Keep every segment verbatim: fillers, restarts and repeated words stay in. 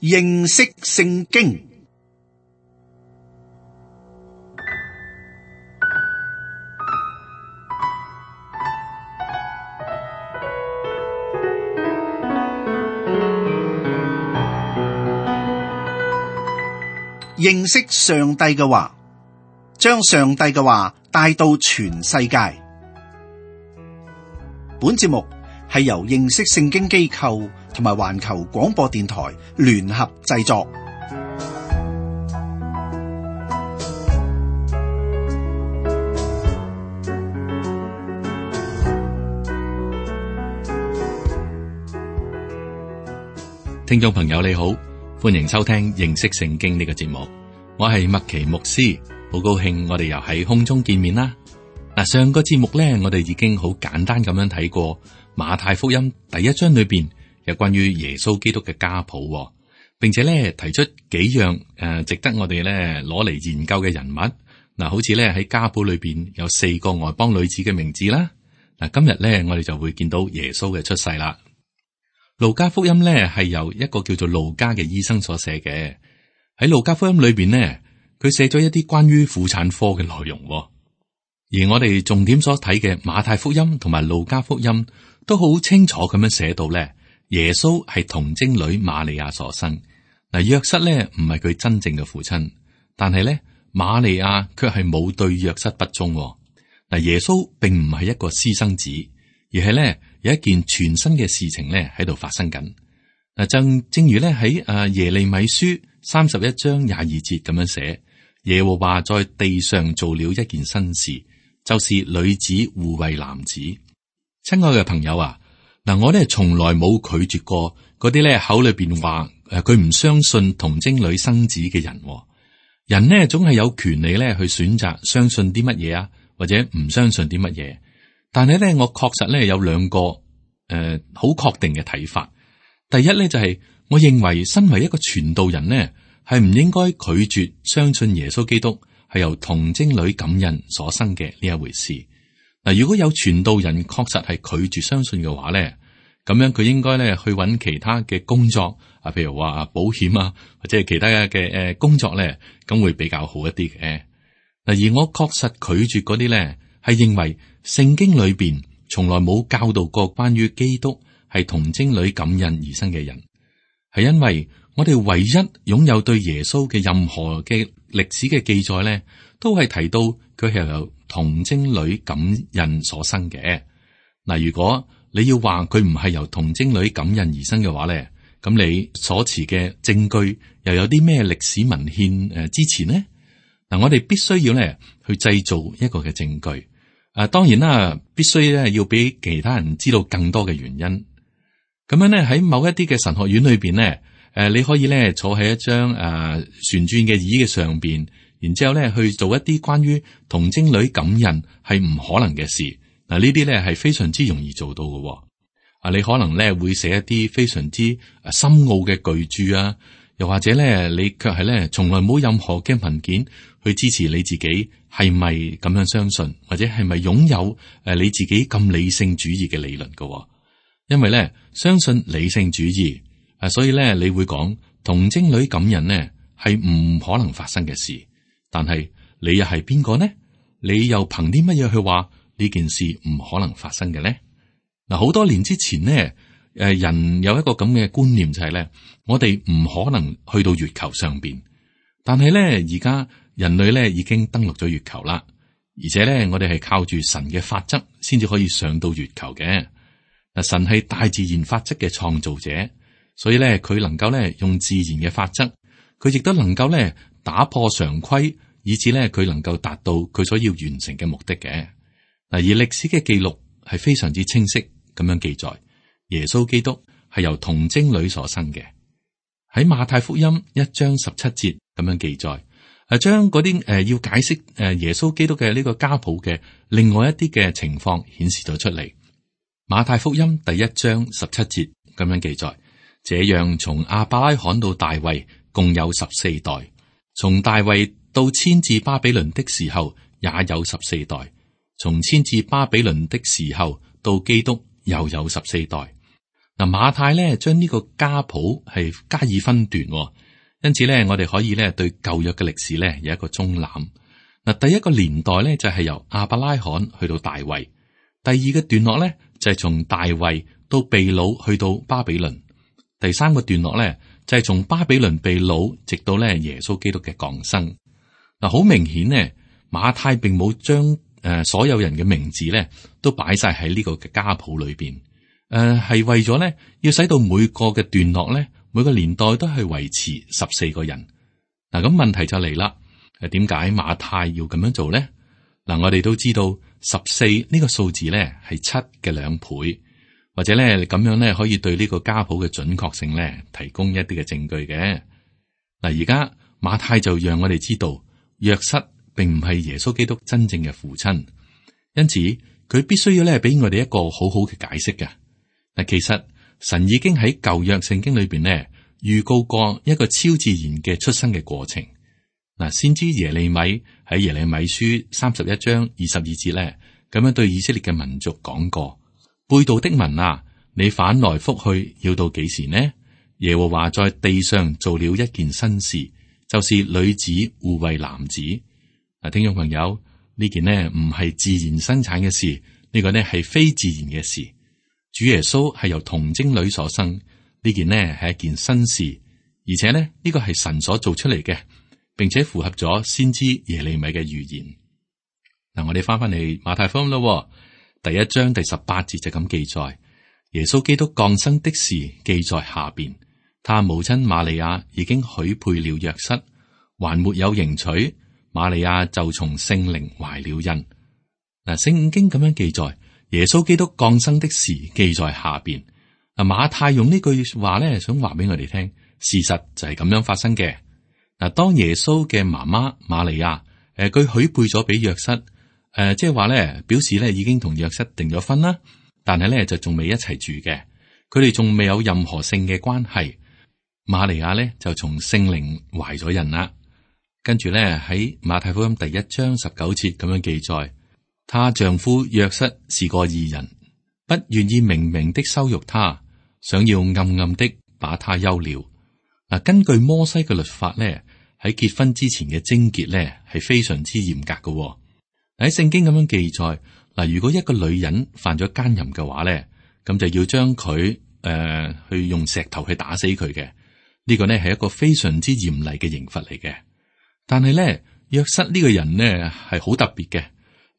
認識聖經。認識上帝嘅話，將上帝嘅話帶到全世界。本節目係由認識聖經機構同埋環球廣播電台聯合製作。聽眾朋友你好，歡迎收聽認識聖經呢個節目，我係麥奇牧師，好高興我哋又喺空中見面啦。嗱，上個節目咧，我哋已經好簡單咁樣睇過馬太福音第一章裏邊有關於耶穌基督嘅家譜，並且咧提出幾樣誒、呃、值得我哋咧攞嚟研究嘅人物。嗱，好似咧喺家譜裏邊有四個外邦女子嘅名字啦。嗱，今日咧我哋就會見到耶穌嘅出世啦。路加福音咧係由一個叫做路加嘅醫生所寫嘅。喺路加福音裏邊呢，佢寫咗一啲關於婦產科嘅內容，而我哋重點所睇嘅馬太福音同埋路加福音都好清楚咁樣寫到咧，耶穌係童貞女瑪利亞所生。嗱，約瑟咧唔係佢真正嘅父親，但係咧瑪利亞卻係冇對約瑟不忠。嗱，耶穌並唔係一個私生子，而係咧有一件全新嘅事情咧喺度發生緊。嗱，正正如咧喺誒耶利米書三十一章廿二節咁樣寫，耶和華在地上做了一件新事，就是女子護衛男子。親愛嘅朋友啊，嗱，我咧從來冇拒絕過嗰啲咧口裏邊話誒佢唔相信童貞女生子嘅人。人呢總係有權利咧去選擇相信啲乜嘢啊，或者唔相信啲乜嘢。但係咧，我確實咧有兩個誒好確定嘅睇法。第一咧就係、是、我認為身為一個傳道人呢，係唔應該拒絕相信耶穌基督係由童貞女感孕所生嘅呢一回事。嗱，如果有傳道人確實係拒絕相信嘅話咧，咁樣佢應該咧去揾其他嘅工作啊，譬如話保險啊，或者係其他嘅誒工作咧，咁會比較好一啲嘅。嗱，而我確實拒絕嗰啲咧，係認為聖經裏邊從來冇教導過關於基督係童貞女感孕而生嘅人，係因為我哋唯一擁有對耶穌嘅任何嘅歷史嘅記載咧，都係提到佢係由童貞女感孕所生嘅。嗱，如果你要話佢唔係由童貞女感孕而生嘅話咧，咁你所持嘅證據又有啲咩歷史文獻誒支持呢？嗱，我哋必須要咧去製造一個嘅證據。啊，當然啦，必須咧要俾其他人知道更多嘅原因。咁樣咧喺某一啲嘅神學院裏邊咧，誒，你可以咧坐喺一張誒旋轉嘅椅嘅上邊，然之後咧去做一啲關於童貞女感孕係唔可能嘅事。嗱，呢啲咧係非常之容易做到嘅。啊，你可能咧會寫一啲非常之深奧嘅巨著啊，又或者咧你卻係咧從來冇任何嘅文件去支持你自己係咪咁樣相信，或者係咪擁有誒你自己咁理性主義嘅理論嘅。因為咧相信理性主義，啊，所以咧你會講童貞女感孕呢係唔可能發生嘅事。但係你又係邊個呢？你又憑啲乜嘢去話呢件事唔可能發生嘅呢？嗱，好多年之前呢，誒人有一個咁嘅觀念就係咧，我哋唔可能去到月球上邊。但係咧而家人類咧已經登陸咗月球啦，而且咧我哋係靠住神嘅法則先至可以上到月球嘅。嗱，神係大自然法則嘅創造者，所以咧佢能夠咧用自然嘅法則，佢亦都能夠咧打破常規，以至咧佢能夠達到佢所要完成嘅目的嘅。嗱，而歷史嘅記錄係非常之清晰咁樣記載，耶穌基督係由童貞女所生嘅。喺馬太福音一章十七節咁樣記載，誒將嗰啲誒要解釋誒耶穌基督嘅呢個家譜嘅另外一啲嘅情況顯示咗出嚟。馬太福音第一章十七節咁樣記載，這樣從亞伯拉罕到大衛共有十四代，從大衛到遷至巴比倫的時候也有十四代，從遷至巴比倫的時候到基督又有十四代。嗱，馬太咧將呢個家譜係加以分段，因此咧我哋可以咧對舊約嘅歷史咧有一個中覽。嗱，第一個年代咧就係由亞伯拉罕去到大衛，第二個段落咧就係從大衛到被擄去到巴比倫，第三個段落咧就係從巴比倫被擄直到咧耶穌基督嘅降生。嗱，好明顯呢，馬太並冇將誒所有人嘅名字咧都擺晒喺呢個嘅家譜裏邊。誒，係、呃、為咗咧，要使到每個嘅段落咧，每個年代都係維持十四個人。嗱，咁問題就嚟啦，誒，點解馬太要咁樣做咧？嗱，我哋都知道十四呢個數字咧係七嘅兩倍，或者咧咁樣咧可以對呢個家譜嘅準確性咧提供一啲嘅證據嘅。嗱，而家馬太就讓我哋知道，約瑟並唔係耶穌基督真正嘅父親，因此佢必須要咧俾我哋一個好好嘅解釋嘅。嗱，其實神已經喺舊約聖經裏邊咧預告過一個超自然嘅出生嘅過程。嗱，先知耶利米喺耶利米書三十一章二十二節咧，咁樣對以色列嘅民族講過：背道的民啊，你反來覆去要到幾時呢？耶和華在地上做了一件新事，就是女子護衛男子。嗱，聽眾朋友，呢件呢唔係自然生產嘅事，呢個呢係非自然嘅事。主耶穌係由童貞女所生，呢件呢係一件新事，而且呢呢個係神所做出嚟嘅，並且符合咗先知耶利米嘅預言。嗱，我哋翻翻嚟馬太福音咯，第一章第十八節就咁記載，耶穌基督降生的事記在下邊，他母親瑪利亞已經許配了約瑟，還沒有迎娶，瑪利亞就從聖靈懷了孕。嗱，聖經咁樣記載。耶穌基督降生的事記在下邊。嗱，馬太用呢句話咧，想話俾我哋聽，事實就係咁樣發生嘅。嗱，當耶穌嘅媽媽瑪利亞，誒，佢許配咗俾約瑟，誒，即係話咧，表示咧已經同約瑟訂咗婚啦，但係咧就仲未一齊住嘅，佢哋仲未有任何性嘅關係。瑪利亞咧就從聖靈懷咗孕啦，跟住咧喺馬太福音第一章十九節咁樣記載。她丈夫約瑟是個義人，不願意明明的羞辱她，想要暗暗的把她休了。嗱，根據摩西嘅律法咧，喺結婚之前嘅貞潔咧係非常之嚴格嘅。喺聖經咁樣記載，嗱，如果一個女人犯咗奸淫嘅話咧，咁就要將佢誒、呃、去用石頭去打死佢嘅。呢個呢係一個非常之嚴厲嘅刑罰嚟嘅。但係咧，約瑟呢個人呢係好特別嘅。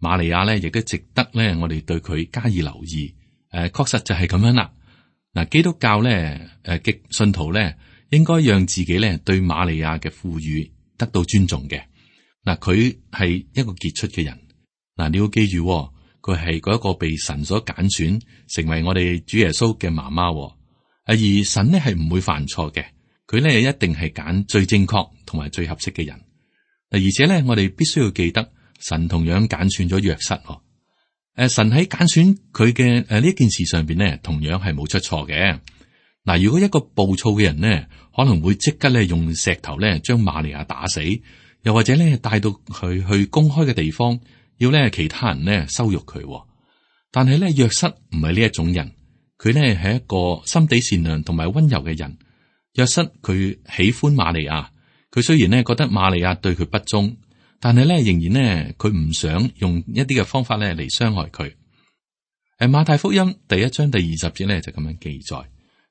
瑪利亞咧，亦都值得咧，我哋對佢加以留意。誒、呃，確實就係咁樣啦。嗱，基督教咧，誒，嘅信徒咧，應該讓自己咧對瑪利亞嘅賦予得到尊重嘅。嗱，佢係一個傑出嘅人。嗱，你要記住，佢係嗰一個被神所揀選，成為我哋主耶穌嘅媽媽。而神呢係唔會犯錯嘅，佢咧一定係揀最正確同埋最合適嘅人。嗱，而且咧，我哋必須要記得。神同樣揀選咗約瑟，誒，神喺揀選佢嘅誒呢件事上邊咧，同樣係冇出錯嘅。嗱，如果一個暴躁嘅人呢，可能會即刻咧用石頭咧將瑪利亞打死，又或者咧帶到佢去公開嘅地方，要咧其他人咧羞辱佢。但係咧約瑟唔係呢一種人，佢咧係一個心地善良同埋溫柔嘅人。約瑟佢喜歡瑪利亞，佢雖然咧覺得瑪利亞對佢不忠。但係咧，仍然咧，佢唔想用一啲嘅方法咧嚟傷害佢。誒，馬太福音第一章第二十節咧就咁樣記載：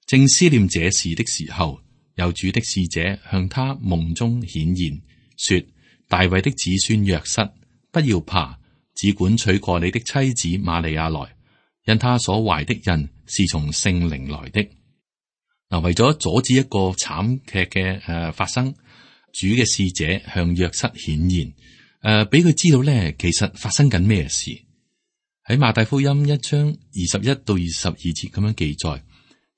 正思念這事的時候，有主的使者向他夢中顯現，說：大衛的子孫約瑟，不要怕，只管娶過你的妻子瑪利亞來，因他所懷的孕是從聖靈來的。嗱，為咗阻止一個慘劇嘅誒發生。主嘅使者向約瑟顯現，誒、呃，俾佢知道咧，其實發生緊咩事。喺馬太福音一章二十一到二十二節咁樣記載，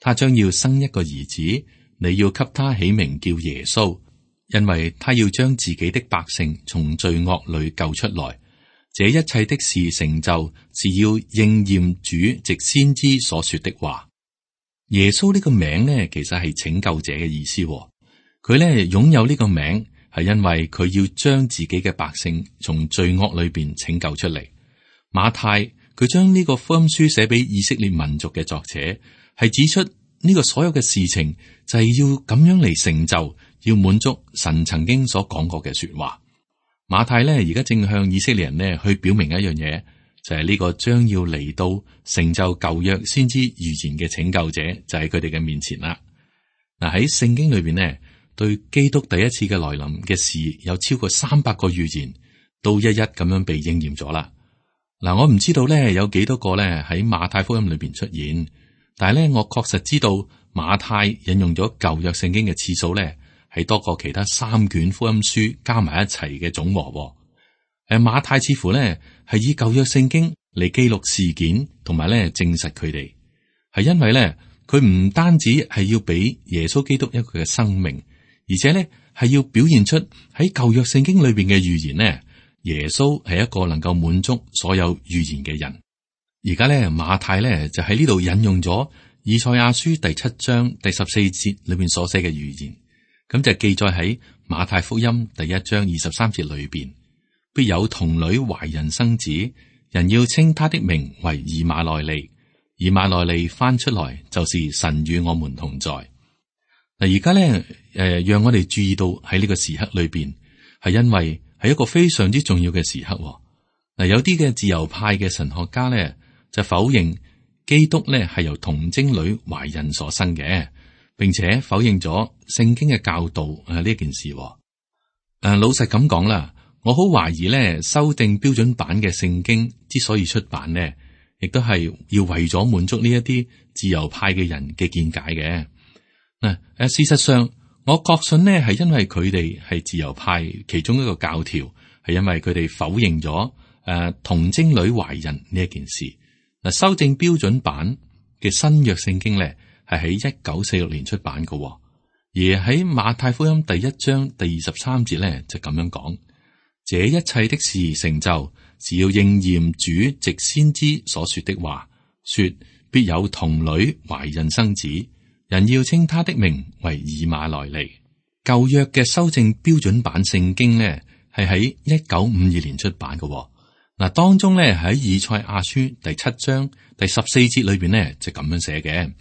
他將要生一個兒子，你要給他起名叫耶穌，因為他要將自己的百姓從罪惡裏救出來。這一切的事成就，是要應驗主藉先知所說的話。耶穌呢個名呢，其實係拯救者嘅意思。佢咧擁有呢個名，係因為佢要將自己嘅百姓從罪惡裏邊拯救出嚟。馬太佢將呢個福音書寫俾以色列民族嘅作者，係指出呢個所有嘅事情就係要咁樣嚟成就，要滿足神曾經所講過嘅說話。馬太咧而家正向以色列人呢去表明一樣嘢，就係呢個將要嚟到成就舊約先知預言嘅拯救者，就喺佢哋嘅面前啦。嗱，喺聖經裏邊呢，對基督第一次嘅來臨嘅事有超過三百個預言，都一一咁樣被應驗咗啦。嗱，我唔知道咧有幾多個咧喺馬太福音裏邊出現，但係咧我確實知道馬太引用咗舊約聖經嘅次數咧係多過其他三卷福音書加埋一齊嘅總和。誒，馬太似乎咧係以舊約聖經嚟記錄事件，同埋咧證實佢哋，係因為咧佢唔單止係要俾耶穌基督一個嘅生命，而且咧係要表現出喺舊約聖經裏邊嘅預言呢。耶穌係一個能夠滿足所有預言嘅人。而家咧馬太咧就喺呢度引用咗以賽亞書第七章第十四節裏邊所寫嘅預言，咁就記載喺馬太福音第一章二十三節裏邊，必有童女懷孕生子，人要稱他的名為以馬內利。以馬內利翻出來就是神與我們同在。嗱，而家咧誒，讓我哋注意到喺呢個時刻裏邊，係因為係一個非常之重要嘅時刻。嗱，有啲嘅自由派嘅神學家咧就否認基督咧係由童貞女懷孕所生嘅，並且否認咗聖經嘅教導誒呢件事。誒，老實咁講啦，我好懷疑咧修訂標準版嘅聖經之所以出版呢，亦都係要為咗滿足呢一啲自由派嘅人嘅見解嘅。嗱，誒，事實上。我確信呢係因為佢哋係自由派其中一個教條，係因為佢哋否認咗誒童貞女懷孕呢一件事。嗱，修正標準版嘅新約聖經咧係喺一九四六年出版嘅，而喺馬太福音第一章第二十三節咧就咁樣講：這一切的事成就，是要應驗主藉先知所說的話，說必有童女懷孕生子。人要稱他的名為以馬內利。舊約嘅修正標準版聖經呢，係喺一九五二年出版嘅。嗱，當中呢，喺以賽亞書第七章第十四節裏邊呢，就咁樣寫嘅。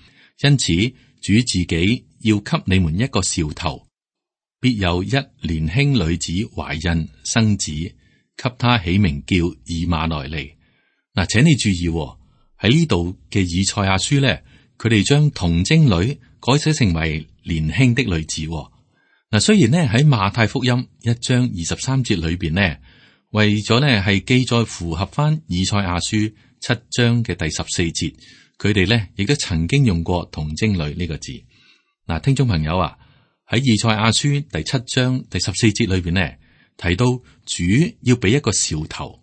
因此，主自己要給你們一個兆頭，必有一年輕女子懷孕生子，給他起名叫以馬內利。嗱，請你注意喺呢度嘅以賽亞書呢。佢哋將童貞女改寫成為年輕的女子。嗱，雖然呢喺馬太福音一章二十三節裏邊呢，為咗呢係記載符合翻以賽亞書七章嘅第十四節，佢哋呢亦都曾經用過童貞女呢個字。嗱，聽眾朋友啊，喺以賽亞書第七章第十四節裏邊呢提到主要俾一個兆頭。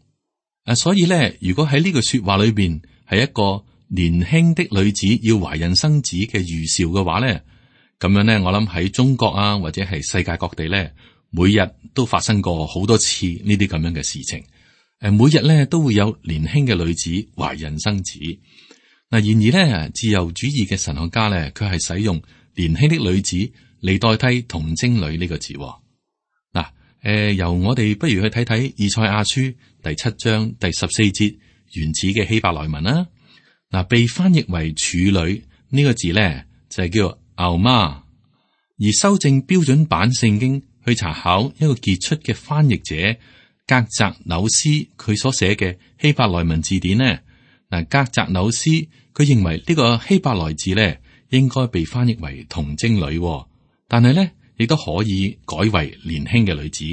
啊，所以呢，如果喺呢句說話裏邊係一個年輕的女子要懷孕生子嘅預兆嘅話咧，咁樣咧，我諗喺中國啊，或者係世界各地咧，每日都發生過好多次呢啲咁樣嘅事情。誒，每日咧都會有年輕嘅女子懷孕生子。嗱，然而咧，自由主義嘅神學家咧，佢係使用年輕的女子嚟代替童貞女呢個字。嗱，誒，由我哋不如去睇睇以賽亞書第七章第十四節原始嘅希伯來文啦。嗱，被翻譯為處女呢個字咧，就係叫牛媽。而修正標準版聖經去查考一個傑出嘅翻譯者格澤紐斯佢所寫嘅希伯來文字典呢，嗱，格澤紐斯佢認為呢個希伯來字咧應該被翻譯為童貞女，但係咧亦都可以改為年輕嘅女子。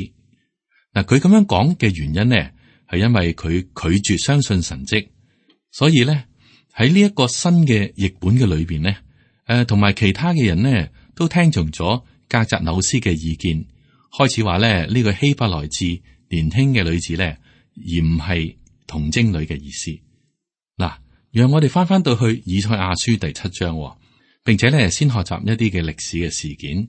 嗱，佢咁樣講嘅原因呢，係因為佢拒絕相信神蹟，所以咧。喺呢一個新嘅譯本嘅裏邊呢，誒、呃，同埋其他嘅人呢，都聽從咗格澤紐斯嘅意見，開始話咧呢、這個希伯來字年輕嘅女子咧，而唔係童貞女嘅意思。嗱，讓我哋翻翻到去以賽亞書第七章，並且咧先學習一啲嘅歷史嘅事件。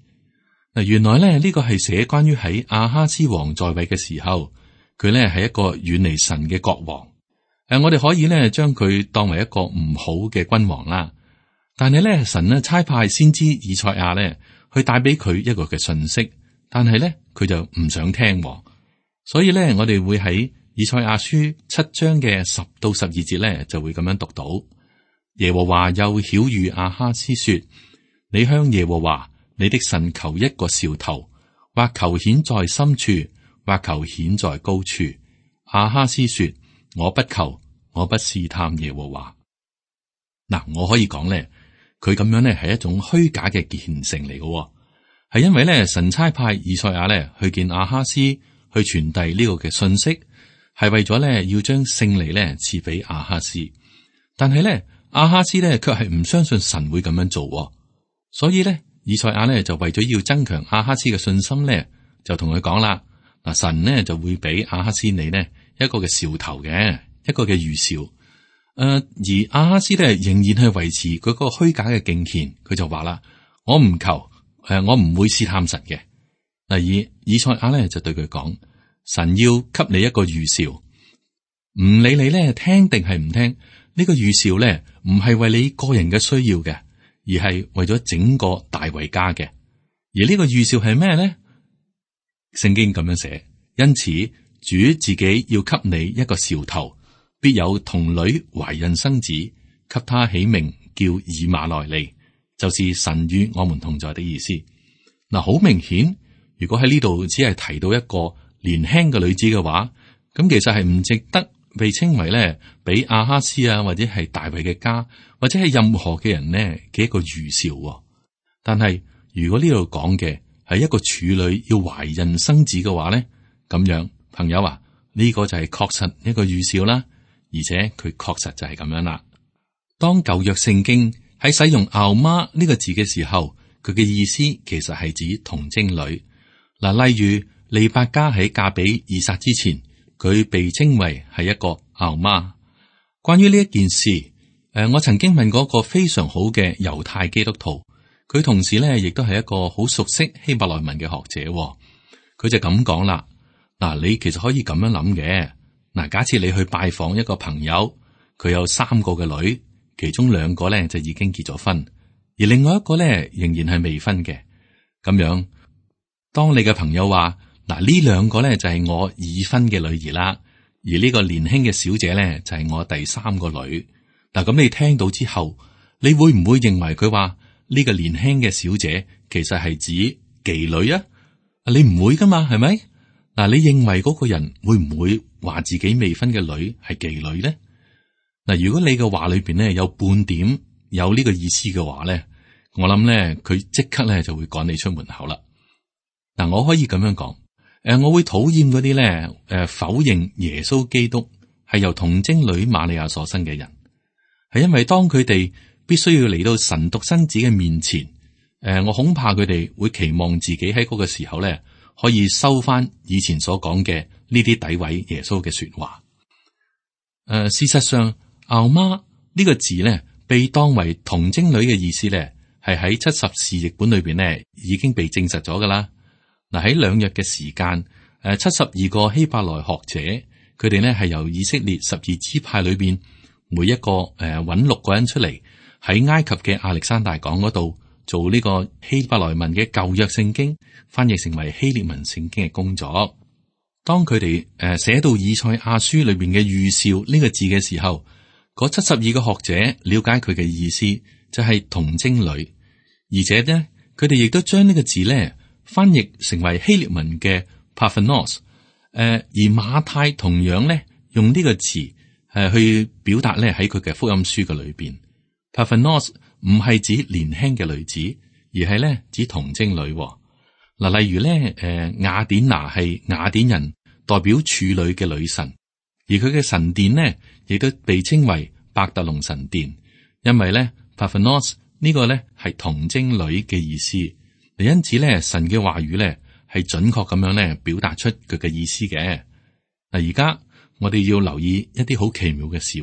嗱，原來咧呢、這個係寫關於喺亞哈斯王在位嘅時候，佢咧係一個遠離神嘅國王。誒，我哋可以咧將佢當為一個唔好嘅君王啦，但係咧神咧差派先知以賽亞咧去帶俾佢一個嘅信息，但係咧佢就唔想聽，所以咧我哋會喺以賽亞書七章嘅十到十二節咧就會咁樣讀到：耶和華又曉諭亞哈斯說：你向耶和華你的神求一個兆頭，或求顯在深處，或求顯在高處。亞哈斯說：我不求，我不試探耶和華。嗱，我可以講咧，佢咁樣咧係一種虛假嘅虔誠嚟嘅，係因為咧神差派以賽亞咧去見亞哈斯，去傳遞呢個嘅信息，係為咗咧要將勝利咧賜俾亞哈斯。但係咧亞哈斯咧卻係唔相信神會咁樣做，所以咧以賽亞咧就為咗要增強亞哈斯嘅信心咧，就同佢講啦：嗱，神呢就會俾亞哈斯你呢一個嘅兆頭嘅，一個嘅預兆。誒、呃，而亞哈斯咧仍然係維持佢嗰個虛假嘅敬虔，佢就話啦：我唔求，誒、呃，我唔會試探神嘅。第二，以賽亞咧就對佢講：神要給你一個預兆，唔理你咧聽定係唔聽，呢、這個預兆咧唔係為你個人嘅需要嘅，而係為咗整個大衛家嘅。而呢個預兆係咩咧？聖經咁樣寫，因此主自己要給你一個兆頭。必有童女懷孕生子，給他起名叫以馬內利，就是神與我們同在的意思。嗱，好明顯，如果喺呢度只係提到一個年輕嘅女子嘅話，咁其實係唔值得被稱為咧，俾亞哈斯啊，或者係大衛嘅家，或者係任何嘅人呢嘅一個預兆。但係如果呢度講嘅係一個處女要懷孕生子嘅話咧，咁樣朋友啊，呢個就係確實一個預兆啦。而且佢確實就係咁樣啦。當舊約聖經喺使用媪媽呢個字嘅時候，佢嘅意思其實係指童貞女。嗱，例如利百加喺嫁俾以撒之前，佢被稱為係一個媪媽。關於呢一件事，誒，我曾經問過一個非常好嘅猶太基督徒，佢同時咧亦都係一個好熟悉希伯來文嘅學者。佢就咁講啦。嗱，你其實可以咁樣諗嘅。嗱，假設你去拜訪一個朋友，佢有三個嘅女，其中兩個咧就已經結咗婚，而另外一個咧仍然係未婚嘅。咁樣，當你嘅朋友話：嗱，呢兩個咧就係我已婚嘅女兒啦，而呢個年輕嘅小姐咧就係我第三個女。嗱，咁你聽到之後，你會唔會認為佢話呢個年輕嘅小姐其實係指妓女啊？你唔會噶嘛，係咪？嗱，你認為嗰個人會唔會話自己未婚嘅女係妓女咧？嗱，如果你嘅話裏邊咧有半點有呢個意思嘅話咧，我諗咧佢即刻咧就會趕你出門口啦。嗱，我可以咁樣講，誒，我會討厭嗰啲咧，誒，否認耶穌基督係由童貞女瑪利亞所生嘅人，係因為當佢哋必須要嚟到神獨生子嘅面前，誒，我恐怕佢哋會期望自己喺嗰個時候咧。可以收翻以前所講嘅呢啲詆毀耶穌嘅說話。誒、呃，事實上，媪媽呢個字咧，被當為童貞女嘅意思咧，係喺七十士譯本裏邊咧已經被證實咗噶啦。嗱，喺兩日嘅時間，誒，七十二個希伯來學者，佢哋咧係由以色列十二支派裏邊每一個誒揾六個人出嚟，喺埃及嘅亞歷山大港嗰度。做呢個希伯來文嘅舊約聖經翻譯成為希臘文聖經嘅工作。當佢哋誒寫到以賽亞書裏邊嘅預兆呢個字嘅時候，嗰七十二個學者了解佢嘅意思就係童貞女，而且呢，佢哋亦都將呢個字咧翻譯成為希臘文嘅 Parthenos。誒，而馬太同樣咧用呢個詞誒去表達咧喺佢嘅福音書嘅裏邊 Parthenos。唔係指年輕嘅女子，而係咧指童貞女。嗱，例如咧，誒雅典娜係雅典人代表處女嘅女神，而佢嘅神殿呢，亦都被稱為伯特龍神殿，因為咧 Parthenos 呢個咧係童貞女嘅意思。因此咧，神嘅話語咧係準確咁樣咧表達出佢嘅意思嘅。嗱，而家我哋要留意一啲好奇妙嘅事，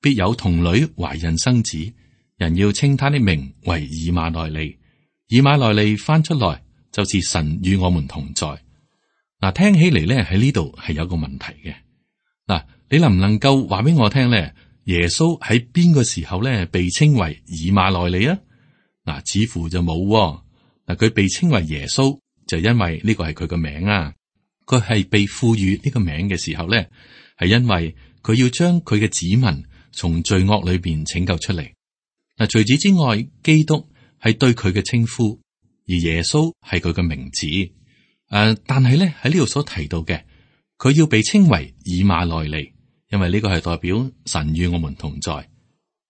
必有童女懷孕生子。人要稱他的名為以馬內利，以馬內利翻出來就是神與我們同在。嗱，聽起嚟咧喺呢度係有個問題嘅。嗱，你能唔能夠話俾我聽咧？耶穌喺邊個時候咧被稱為以馬內利啊？嗱，似乎就冇。嗱，佢被稱為耶穌就因為呢個係佢個名啊。佢係被賦予呢個名嘅時候咧，係因為佢要將佢嘅子民從罪惡裏邊拯救出嚟。嗱，除此之外，基督係對佢嘅稱呼，而耶穌係佢嘅名字。誒、呃，但係咧喺呢度所提到嘅，佢要被稱為以馬內利，因為呢個係代表神與我們同在。嗱、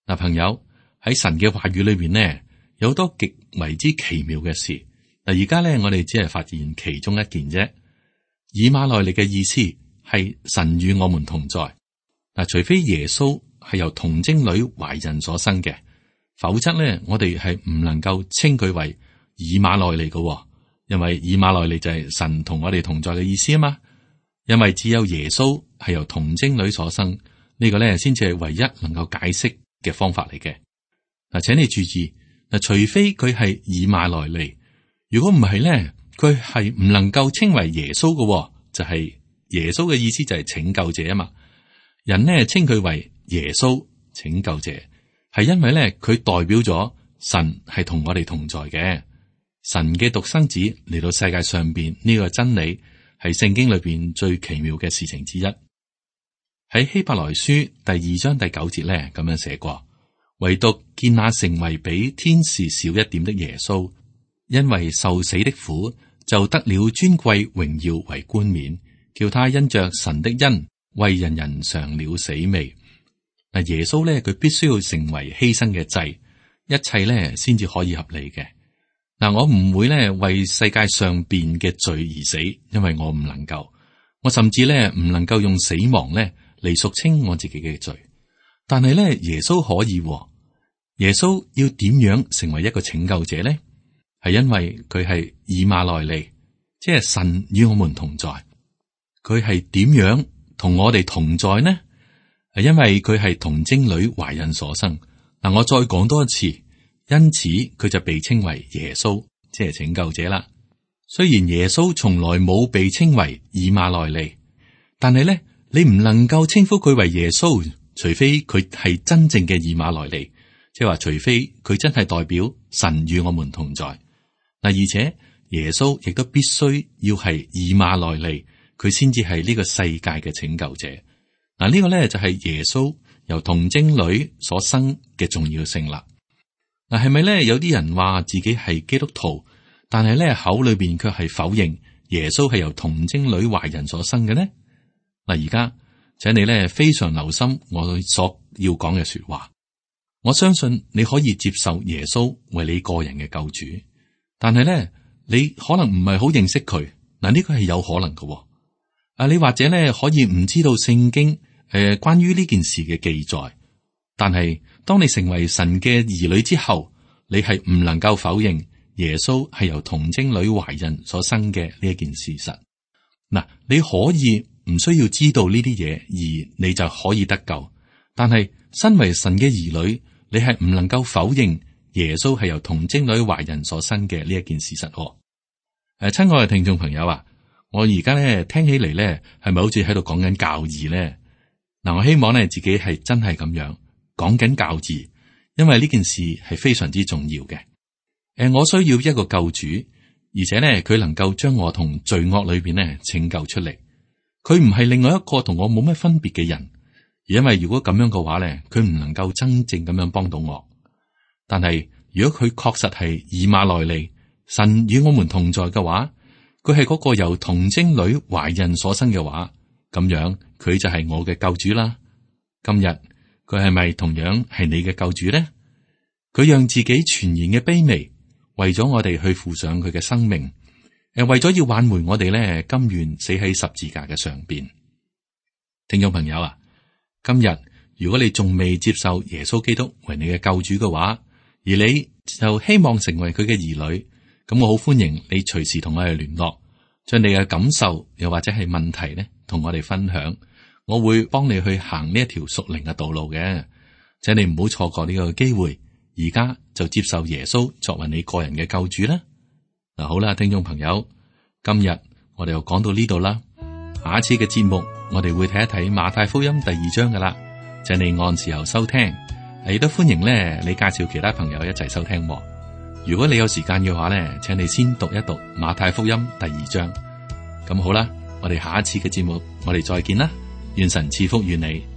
呃，朋友，喺神嘅話語裏邊呢，有好多極為之奇妙嘅事。嗱，而家咧我哋只係發現其中一件啫。以馬內利嘅意思係神與我們同在。嗱、呃，除非耶穌係由童貞女懷孕所生嘅，否則咧我哋係唔能夠稱佢為以馬內利嘅，因為以馬內利就係神同我哋同在嘅意思啊嘛。因為只有耶穌係由童貞女所生，呢個咧先至係唯一能夠解釋嘅方法嚟嘅。嗱，請你注意，嗱，除非佢係以馬內利，如果唔係咧，佢係唔能夠稱為耶穌嘅，就係耶穌嘅意思就係拯救者啊嘛。人呢稱佢為耶穌拯救者，係因為咧佢代表咗神係同我哋同在嘅，神嘅獨生子嚟到世界上邊，呢個真理係聖經裏邊最奇妙嘅事情之一。喺希伯來書第二章第九節咧咁樣寫過，唯獨見那成為比天使小一點的耶穌，因為受死的苦，就得了尊貴榮耀為冠冕，叫他因着神的恩為人人嘗了死味。嗱，耶穌咧佢必須要成為犧牲嘅祭，一切咧先至可以合理嘅。嗱，我唔會咧為世界上邊嘅罪而死，因為我唔能夠，我甚至咧唔能夠用死亡咧嚟贖清我自己嘅罪。但係咧耶穌可以，耶穌要點樣成為一個拯救者咧？係因為佢係以馬內利，即係神與我們同在。佢係點樣同我哋同在呢？係因為佢係童貞女懷孕所生。嗱，我再講多一次。因此佢就被稱為耶穌，即係拯救者啦。雖然耶穌從來冇被稱為以馬內利，但係咧你唔能夠稱呼佢為耶穌，除非佢係真正嘅以馬內利，即係話除非佢真係代表神與我們同在。嗱，而且耶穌亦都必須要係以馬內利，佢先至係呢個世界嘅拯救者。嗱，呢個咧就係耶穌由童貞女所生嘅重要性啦。嗱，係咪咧？有啲人話自己係基督徒，但係咧口裏邊卻係否認耶穌係由童貞女懷孕所生嘅呢？嗱，而家請你咧非常留心我所要講嘅說話。我相信你可以接受耶穌為你個人嘅救主，但係咧你可能唔係好認識佢。嗱，呢個係有可能嘅。啊，你或者咧可以唔知道聖經誒、呃、關於呢件事嘅記載，但係。當你成為神嘅兒女之後，你係唔能夠否認耶穌係由童貞女懷孕所生嘅呢一件事實。嗱，你可以唔需要知道呢啲嘢，而你就可以得救。但係身為神嘅兒女，你係唔能夠否認耶穌係由童貞女懷孕所生嘅呢一件事實。誒、啊，親愛嘅聽眾朋友啊，我而家咧聽起嚟咧，係咪好似喺度講緊教義咧？嗱，我希望咧自己係真係咁樣。講緊教義，因為呢件事係非常之重要嘅。誒，我需要一個救主，而且咧佢能夠將我同罪惡裏邊咧拯救出嚟。佢唔係另外一個同我冇乜分別嘅人，而因為如果咁樣嘅話咧，佢唔能夠真正咁樣幫到我。但係如果佢確實係以馬內利，神與我們同在嘅話，佢係嗰個由童貞女懷孕所生嘅話，咁樣佢就係我嘅救主啦。今日。佢係咪同樣係你嘅救主呢？佢讓自己全然嘅卑微，為咗我哋去付上佢嘅生命，誒，為咗要挽回我哋咧，甘願死喺十字架嘅上邊。聽眾朋友啊，今日如果你仲未接受耶穌基督為你嘅救主嘅話，而你就希望成為佢嘅兒女，咁我好歡迎你隨時同我哋聯絡，將你嘅感受又或者係問題咧，同我哋分享。我會幫你去行呢一條屬靈嘅道路嘅，請你唔好錯過呢個機會，而家就接受耶穌作為你個人嘅救主啦。嗱，好啦，聽眾朋友，今日我哋又講到呢度啦。下一次嘅節目，我哋會睇一睇馬太福音第二章噶啦，請你按時候收聽，亦都歡迎咧你介紹其他朋友一齊收聽。如果你有時間嘅話咧，請你先讀一讀馬太福音第二章。咁好啦，我哋下一次嘅節目，我哋再見啦。願神賜福於你。